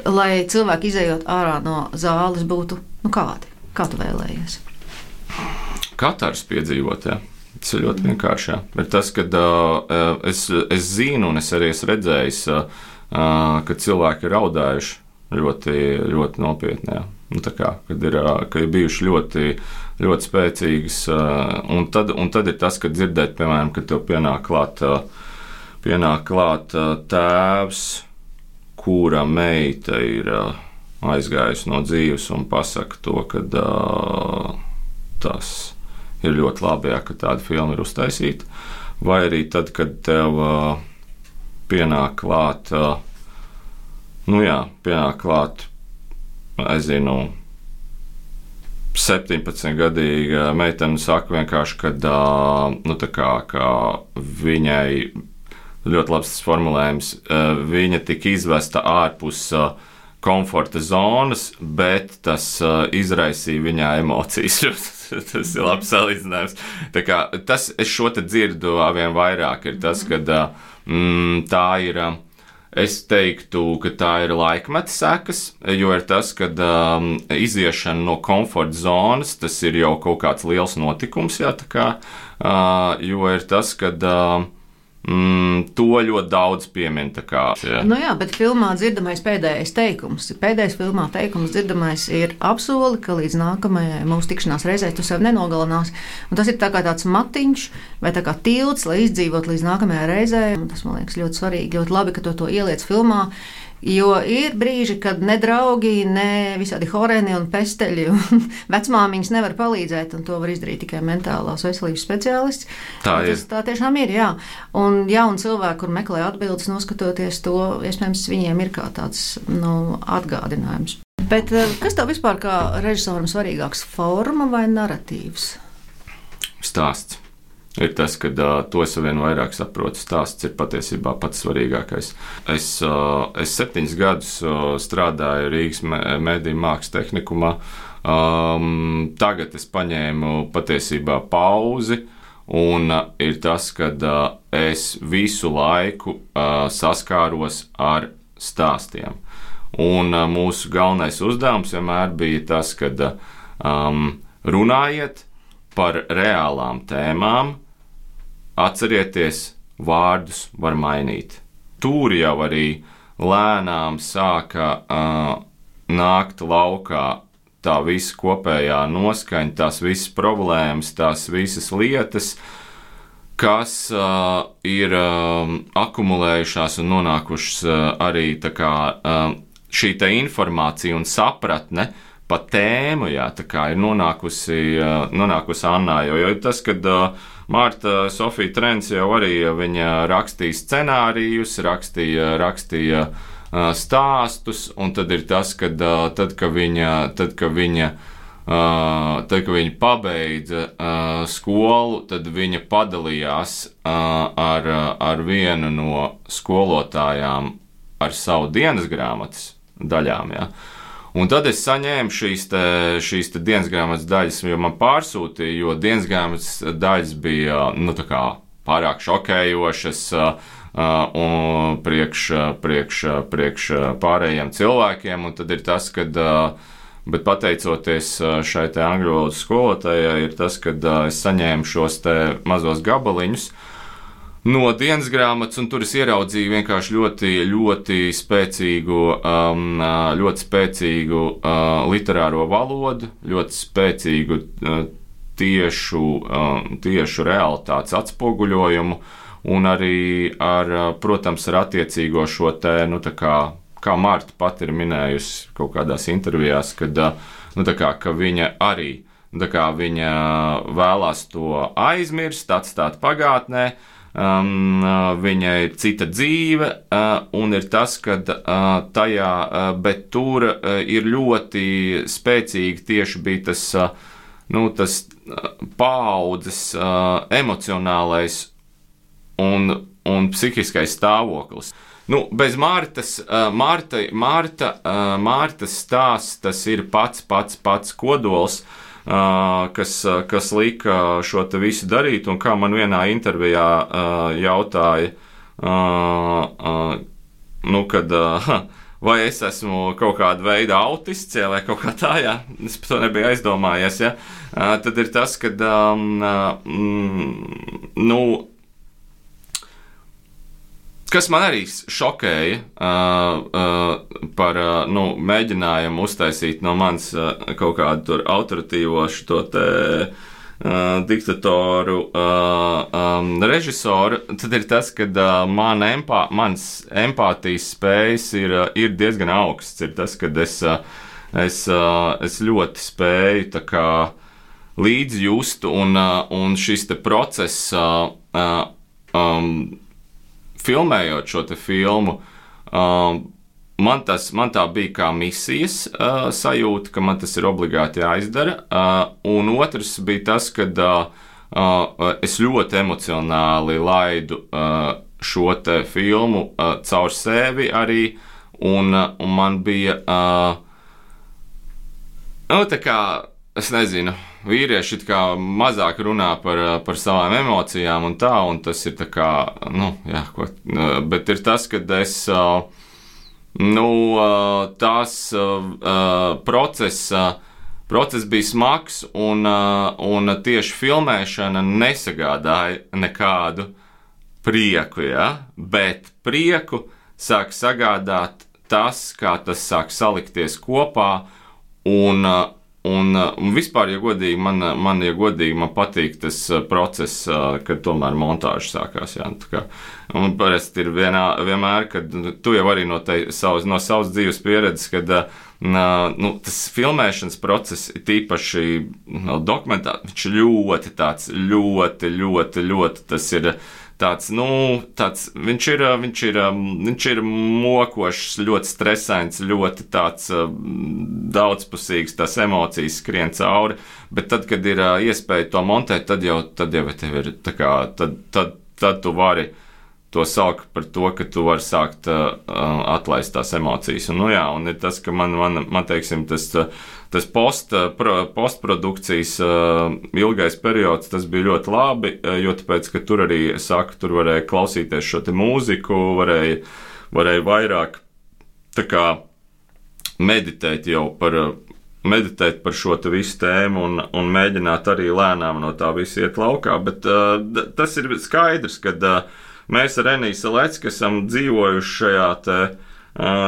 lai cilvēki izējot ārā no zāles būtu, nu kādi? Kā tu vēlējies? Katrs piedzīvot, jā. Tas ir ļoti vienkārši, jā. Ir tas, kad uh, es, es zinu un es arī esmu redzējis, uh, ka cilvēki ir raudājuši ļoti, ļoti nopietni, jā. Nu, tā kā, kad ir, ka ir bijuši ļoti, ļoti spēcīgas, un tad, un tad ir tas, kad dzirdēt, piemēram, kad tev pienāk klāt, pienāk klāt tēvs, kura meita ir aizgājusi no dzīves un pasaka to, ka tas ir ļoti labi, jā, ka tāda filma ir uztaisīta, vai arī tad, kad tev pienāk klāt, nu jā, pienāk klāt, es zinu, septiņpadsmitgadīga meitene saka vienkārši, ka, nu, tā kā, ka viņai, ļoti labs tas formulējums, viņa tika izvesta ārpus komforta zonas, bet tas izraisīja viņā emocijas. Tas ir labs salīdzinājums. Tā kā, tas, es šo te dzirdu vien vairāk, ir tas, ka mm, tā ir. Es teiktu, ka tā ir laikmeta sekas, jo ir tas, ka um, iziešana no komforta zonas, tas ir jau kaut kāds liels notikums, jā, tā kā, uh, jo ir tas, ka uh, mm, to ļoti daudz piemin, tā kā. Jā. Nu jā, bet filmā dzirdamais pēdējais teikums, pēdējais filmā teikums dzirdamais ir apsoli, ka līdz nākamajai mūsu tikšanās reizē tu sev nenogalinās, un tas ir tā kā tāds matiņš, vai tā kā tilts, lai izdzīvot līdz nākamajai reizē. Tas, man liekas, ļoti svarīgi, ļoti labi, ka tu to ieliec filmā, jo ir brīži, kad ne draugi, ne visādi horēni un pesteļi un vecmāmiņas nevar palīdzēt, un to var izdarīt tikai mentālās veselības speciālists. Tā ir. Tas tā tiešām ir, jā. Un jauni cilvēki, kur meklē atbildes, noskatoties to, iespējams, viņiem ir kā tāds, nu, atgādinājums. Bet kas tev vispār kā režisoram svarīgāks, forma vai naratīvs? Stāsts. Ir tas, ka uh, to es vien vairāk saprotu. Stāsts ir patiesībā pats svarīgākais. Es, uh, es septiņus gadus uh, strādāju Rīgas mediju mākslas tehnikumā. Um, tagad es paņēmu patiesībā pauzi, un uh, ir tas, ka uh, es visu laiku uh, saskāros ar stāstiem. Un uh, mūsu galvenais uzdevums vienmēr bija tas, ka uh, um, runājiet par reālām tēmām, atcerieties, vārdus var mainīt. Tur jau arī lēnām sāka uh, nākt laukā tā visa kopējā noskaņa, tās visas problēmas, tās visas lietas, kas uh, ir uh, akumulējušās un nonākušas uh, arī tā kā uh, šī te informācija un sapratne pa tēmu, jā, tā kā ir nonākusi, nonākusi Annā, jo, jo tas, kad Marta Sofija Trens jau arī viņa rakstīja scenārijus, rakstīja, rakstīja stāstus, un tad ir tas, kad tad, ka viņa, tad, ka viņa, tad, ka viņa pabeidza skolu, tad viņa padalījās ar, ar vienu no skolotājām ar savu dienas grāmatas daļām, jā. Un tad es saņēmu šīs, te, šīs te dienas grāmatas daļas, jo man pārsūtīja, jo dienas grāmatas daļas bija, nu, tā kā pārāk šokējošas uh, un priekš, priekš, priekš pārējiem cilvēkiem, un tad ir tas, kad, uh, bet pateicoties šai te angļu valodas skolotājai, ir tas, kad uh, es saņēmu šos te mazos gabaliņus no dienas grāmatas, un tur es ieraudzīju vienkārši ļoti, ļoti spēcīgu, um, ļoti spēcīgu uh, literāro valodu, ļoti spēcīgu uh, tiešu, uh, tiešu realitātes atspoguļojumu, un arī ar, protams, ar attiecīgo šo te, nu, tā kā, kā Marta pat ir minējusi kaut kādās intervijās, kad, nu, tā kā, ka viņa arī, tā kā viņa vēlās to aizmirst, atstāt pagātnē. Um, viņai ir cita dzīve, uh, un ir tas, ka uh, tajā, uh, bet tur uh, ir ļoti spēcīgi tieši bija tas, uh, nu, tas uh, paaudzes uh, emocionālais un, un psihiskais stāvoklis. Nu, bez Martas, Marta, Marta, Martas stāsts, tas ir pats, pats, pats kodols, kas, kas lika šo te visu darīt, un kā man vienā intervijā jautāja, nu, kad, vai es esmu kaut kāda veida autists, ja, vai kaut kā tā, jā, es par to nebiju aizdomājies, ja, tad ir tas, kad, mm, nu, kas man arī šokēja par, nu, mēģinājumu uztaisīt no manis kaut kādu tur autoritīvo šo te Uh, diktatoru uh, um, režisoru, tad ir tas, ka uh, man empā, mans empātijas spējas ir, uh, ir diezgan augsts. Ir tas, ka es, uh, es, uh, es ļoti spēju tā kā līdzjust, un, uh, un šis te process, uh, uh, um, filmējot šo te filmu, uh, Man, tas, man tā bija kā misijas uh, sajūta, ka man tas ir obligāti jāizdara. Uh, un otrs bija tas, ka uh, uh, es ļoti emocionāli laidu uh, šo te filmu uh, caur sevi arī. Un, uh, un man bija, uh, nu, tā kā, es nezinu, vīrieši kā mazāk runā par, par savām emocijām un tā, un tas ir tā kā, nu, jā, ko, uh, bet ir tas, kad es. Uh, Nu, tās procesa, process bija smags, un, un tieši filmēšana nesagādāja nekādu prieku, ja? Bet prieku sāk sagādāt tas, kā tas sāk salikties kopā, un, un, un vispār, ja godīgi, man, man, ja godīgi, man patīk tas process, kad tomēr montāža sākās, jā, tā kā. Un parasti ir vienā, vienmēr, kad tu jau arī no, te, savas, no savas dzīves pieredzes, kad nu, tas filmēšanas process ir tīpaši no, dokumentāri, viņš ir ļoti tāds, ļoti, ļoti, ļoti, tas ir tāds, nu, tāds, viņš ir, viņš ir, viņš ir mokošs, ļoti stresains, ļoti tāds daudzpusīgs, tās emocijas skrien cauri, bet tad, kad ir iespēja to montēt, tad jau, tad jau tev ir, tā kā, tad, tad, tad tu vari to saukt par to, ka tu vari sākt uh, atlaist tās emocijas. Un, nu jā, un ir tas, ka man, man, man teiksim, tas, tas post, pro, postprodukcijas uh, ilgais periods, tas bija ļoti labi, jo tāpēc, ka tur arī, saka, tur varēja klausīties šo te mūziku, varēja, varēja vairāk tā kā meditēt jau par, meditēt par šo te visu tēmu un, un mēģināt arī lēnām no tā visu iet laukā, bet uh, tas ir skaidrs, kad uh, mēs ar Eniju Salecki esam dzīvojuši šajā, te,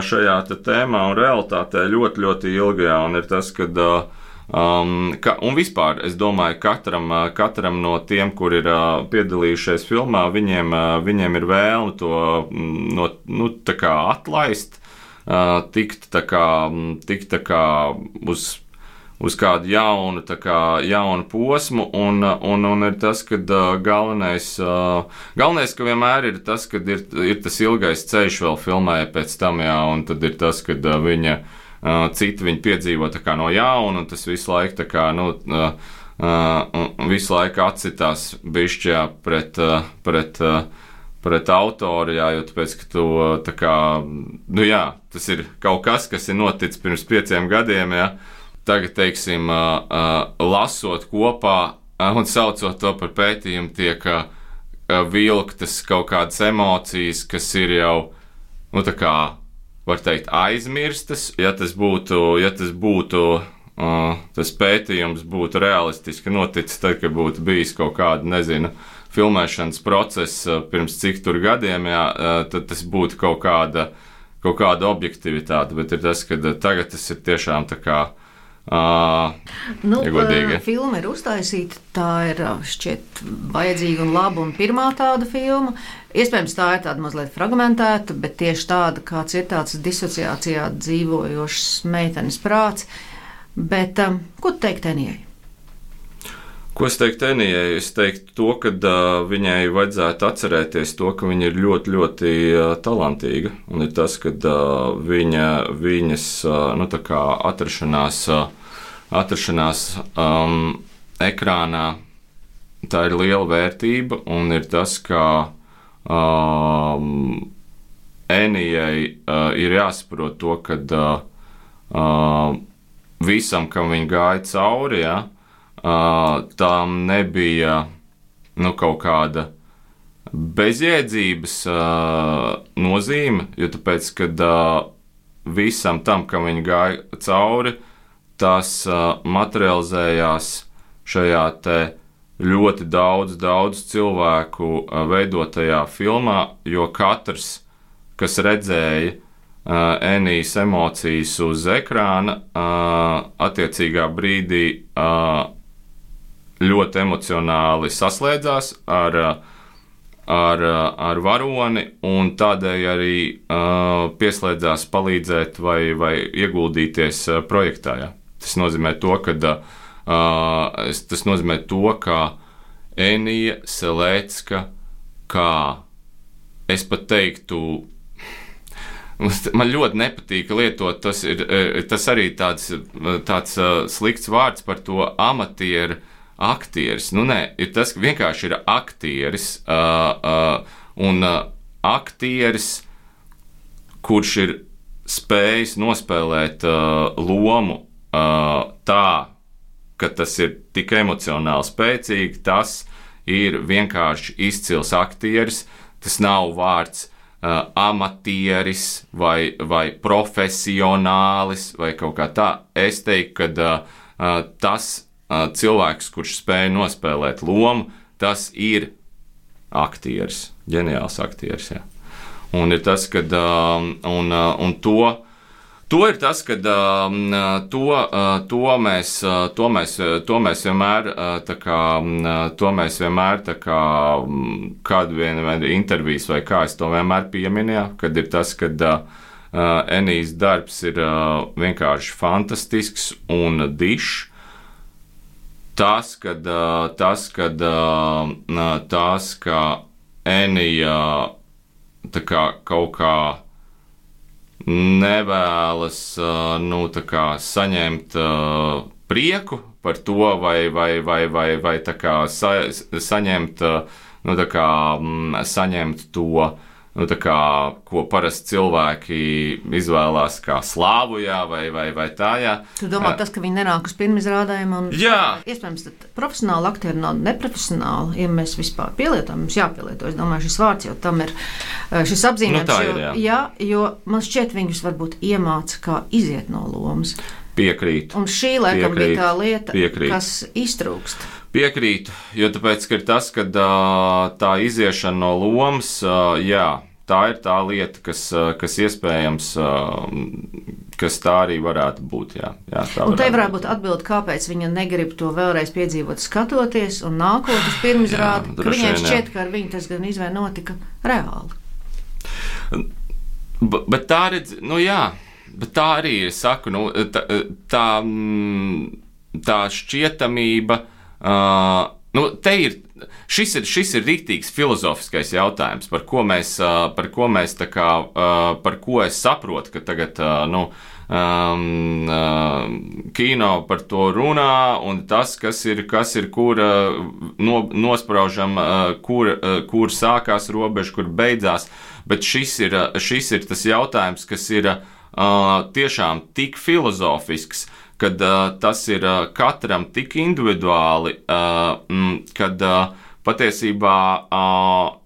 šajā te tēmā un realitātē ļoti, ļoti ilgi, un ir tas, kad, um, ka, un vispār, es domāju, katram, katram no tiem, kur ir piedalījušies filmā, viņiem, viņiem ir vēlme to, no, nu, tā kā atlaist, tikt tā kā, tikt tā kā uz uz kādu jaunu, tā kā jaunu posmu, un, un, un ir tas, ka uh, galvenais, uh, galvenais, ka vienmēr ir tas, ka ir, ir tas ilgais ceļš vēl filmē pēc tam, jā, un tad ir tas, ka uh, viņa, uh, citi viņa piedzīvo tā kā no jauna, un tas visu laiku tā kā, nu, uh, uh, visu laiku atsitās bišķjā pret, uh, pret, uh, pret autoru, jā, jo tāpēc, ka tu, uh, tā kā, nu jā, tas ir kaut kas, kas ir noticis pirms pieciem gadiem, jā, tagad, teiksim, lasot kopā un saucot to par pētījumu, tiek vilktas kaut kādas emocijas, kas ir jau, nu tā kā, var teikt, aizmirstas. Ja tas būtu, ja tas būtu, tas pētījums būtu realistiski noticis, tad, kad būtu bijis kaut kāda, nezinu, filmēšanas process pirms cik tur gadiem, jā, tad tas būtu kaut kāda, kaut kāda objektivitāte, bet ir tas, ka tagad tas ir tiešām tā kā Uh, nu, uh, filma ir uztaisīta, tā ir šķiet vajadzīga un laba un pirmā tāda filma. Iespējams, tā ir tāda mazliet fragmentēta, bet tieši tāda, kāds ir tāds disociācijā dzīvojošs meitenes prāts. Bet um, ko tu teikt Enijai? Ko es teiktu Enijai? Es teiktu to, ka uh, viņai vajadzētu atcerēties to, ka viņa ir ļoti, ļoti uh, talantīga. Un ir tas, ka uh, viņa, viņas uh, nu, tā kā atrašanās, uh, atrašanās um, ekrānā, tā ir liela vērtība. Un ir tas, ka um, Enijai uh, ir jāsaprot to, ka uh, uh, visam, kam viņa gāja cauri, ja, uh, tam nebija nu, kaut kāda bezjēdzības uh, nozīme, jo tāpēc, kad uh, visam tam, kam viņa gāja cauri, tas uh, materializējās šajā te ļoti daudz, daudz cilvēku uh, veidotajā filmā, jo katrs, kas redzēja uh, Enijas emocijas uz ekrāna, uh, attiecīgā brīdī uh, ļoti emocionāli saslēdzās ar uh, Ar, ar varoni, un tādēļ arī uh, pieslēdzās palīdzēt vai, vai ieguldīties uh, projektā. Ja. Tas nozīmē to, ka uh, tas nozīmē to, ka Enija Selēcka, kā es pat teiktu, man ļoti nepatīk lietot, tas ir tas arī tāds, tāds uh, slikts vārds par to amatieru. Aktieris, nu nē, ir tas, ka vienkārši ir aktieris, uh, uh, un uh, aktieris, kurš ir spējis nospēlēt uh, lomu uh, tā, ka tas ir tik emocionāli spēcīgi, tas ir vienkārši izcils aktieris, tas nav vārds uh, amatieris vai, vai profesionālis vai kaut kā tā. Es teiktu, ka uh, uh, tas cilvēks, kurš spēja nospēlēt lomu, tas ir aktieris, ģeniāls aktieris. Jā. Un ir tas, kad un, un to, to ir tas, kad to, to mēs, to mēs, to mēs vienmēr, tā kā, to mēs vienmēr, tā kā, kādu vienu intervijas vai kā es to vienmēr pieminu, jā, kad ir tas, kad Enijas darbs ir vienkārši fantastisks un dišs. Tas, kad, tas, kad, tas, ka Enija tā kā kaut kā nevēlas nu, tā kā saņemt prieku par to, vai, vai, vai, vai, vai tā kā sa, saņemt, nu, tā kā, saņemt to, nu, tā kā, ko parasti cilvēki izvēlās kā slāvu, jā, vai, vai, vai tā, jā. Tu domā, tas, ka viņi nenāk uz pirmizrādējumu, un jā. Iespējams, tad profesionāli aktieri nav neprofesionāli, ja mēs vispār pielietojam, mums jāpielieto. Es domāju, šis vārds jau tam ir, šis apzīmējums, nu, ir, jā. Jo, jā, jo man šķiet, viņus varbūt iemāca, kā iziet no lomas. Piekrīt. Un šī, laikam, Piekrīt. bija tā lieta, Piekrīt. kas iztrūkst. Piekrītu, jo tāpēc, ka ir tas, ka tā iziešana no lomas, jā, tā ir tā lieta, kas, kas iespējams, kas tā arī varētu būt, jā. jā tā un te varētu varētu būt atbildi, kāpēc viņa negrib to vēlreiz piedzīvot skatoties un nākot uz pirmizrādi, ka viņai šķiet, ka ar viņu tas gan izvēl notika reāli. B- bet tā redz, nu jā, bet tā arī ir, saku, nu, tā, tā, tā šķietamība, Uh, nu, te ir, šis ir, šis ir rīktīgs filozofiskais jautājums, par ko mēs, uh, par ko mēs tā kā, uh, par ko es saprotu, ka tagad, uh, nu, um, uh, kino par to runā, un tas, kas ir, kas ir kur uh, no, nospraužam, uh, kur, uh, kur sākās robeža, kur beidzās, bet šis ir, šis ir tas jautājums, kas ir uh, tiešām tik filozofisks, kad uh, tas ir uh, katram tik individuāli, uh, m, kad uh, patiesībā uh,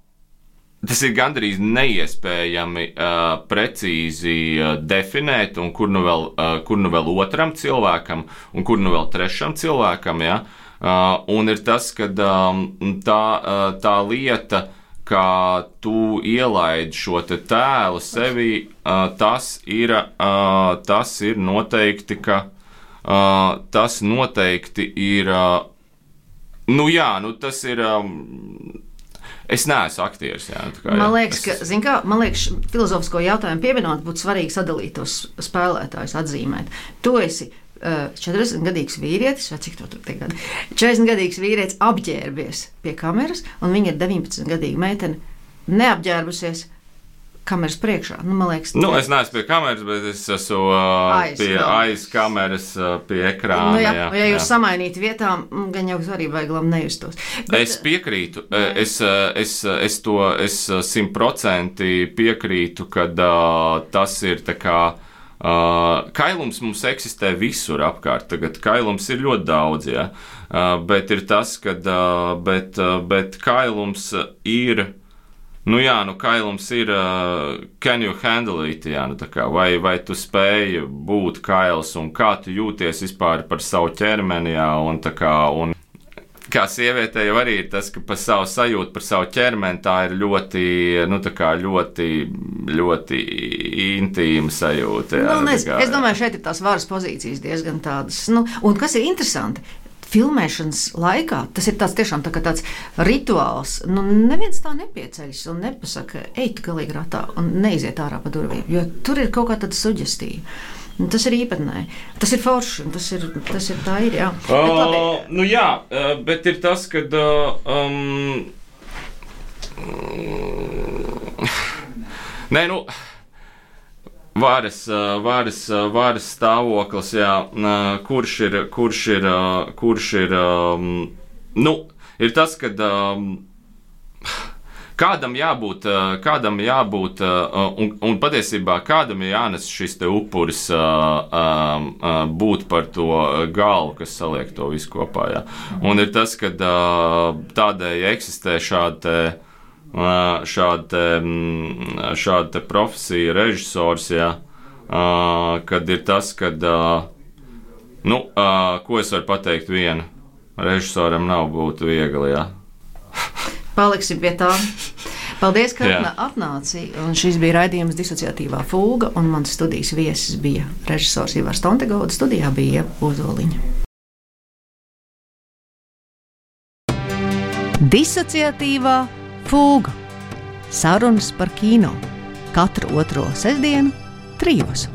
tas ir gandrīz neiespējami uh, precīzi uh, definēt, un kur nu, vēl, uh, kur nu vēl otram cilvēkam, un kur nu vēl trešam cilvēkam, ja? uh, un ir tas, kad um, tā, uh, tā lieta, kā tu ielaidi šo te tēlu sevī, uh, tas ir, uh, tas ir noteikti, ka Uh, tas noteikti ir, uh, nu jā, nu tas ir, um, es neesmu aktieris, jā. Tā kā, jā. Man liekas, es... ka, zin kā, man liekas, filozofisko jautājumu pievienot būtu svarīgi sadalīt tos spēlētājus, atzīmēt. Tu esi uh, četrdesmitgadīgs vīrietis, vai cik to tur te gadi? četrdesmitgadīgs vīrietis apģērbies pie kameras, un viņa ir deviņpadsmitgadīga meitene neapģērbusies, kameras priekšā. Nu, man liekas, nu, es neesmu pie kameras, bet es esmu uh, aiz, pie kameras. aiz kameras, uh, pie ekrāna. Nu, jā, jā, ja jūs jā. samainītu vietām, gan jau arī vajag labi nejustos. Bet, es piekrītu. Es, es, es to es simtprocentīgi piekrītu, ka uh, tas ir tā kā. Uh, kailums mums eksistē visur apkārt. Tagad kailums ir ļoti daudz, ja? uh, bet ir tas, ka uh, bet, uh, bet kailums ir, nu jā, nu kailums ir, uh, can you handle it, jā, nu tā kā, vai, vai tu spēji būt kails un kā tu jūties vispār par savu ķermeni, jā, un tā kā, un kā sievietē jau arī ir tas, ka par savu sajūtu, par savu ķermeni tā ir ļoti, nu tā kā ļoti, ļoti intīma sajūta. Jā, nu, es, kā, es domāju, šeit ir tās varas pozīcijas diezgan tādas. Nu, un kas ir interesanti, filmēšanas laikā tas ir tāds tiešām tā kā tāds rituāls. Nu, neviens tā nepieceļas un nepasaka, ej tu galīgi ratā un neiziet ārā pa durvīm, jo tur ir kaut kā tāda suģestīva. Tas ir īpatnēji. Tas ir forši. Tas ir, tas ir tā ir, jā. Uh, nu jā, bet ir tas, ka um, nē, nu varas, varas, varas stāvoklis, jā, kurš ir, kurš ir, kurš ir, um, nu, ir tas, ka um, Kādam jābūt, kādam jābūt un, un patiesībā kādam ir jānes šis te upuris būt par to galvu, kas saliek to visu kopā. Jā. Un ir tas, ka tādēļ eksistē šāda te, šāda te, šāda te profesija, režisors, jā, kad ir tas, kad, nu, ko es varu pateikt vienu, režisoram nav būt viegli, jā. Paliksim pie tā. Paldies, ka yeah. atnāci. Un šis bija raidījums Disociatīvā fūga, un mans studijas viesis bija režisors Ivars Tontegauda, studijā bija Ieva Ozoliņa. Disociatīvā fūga. Sarunas par kino. Katru otro sestdienu trijos.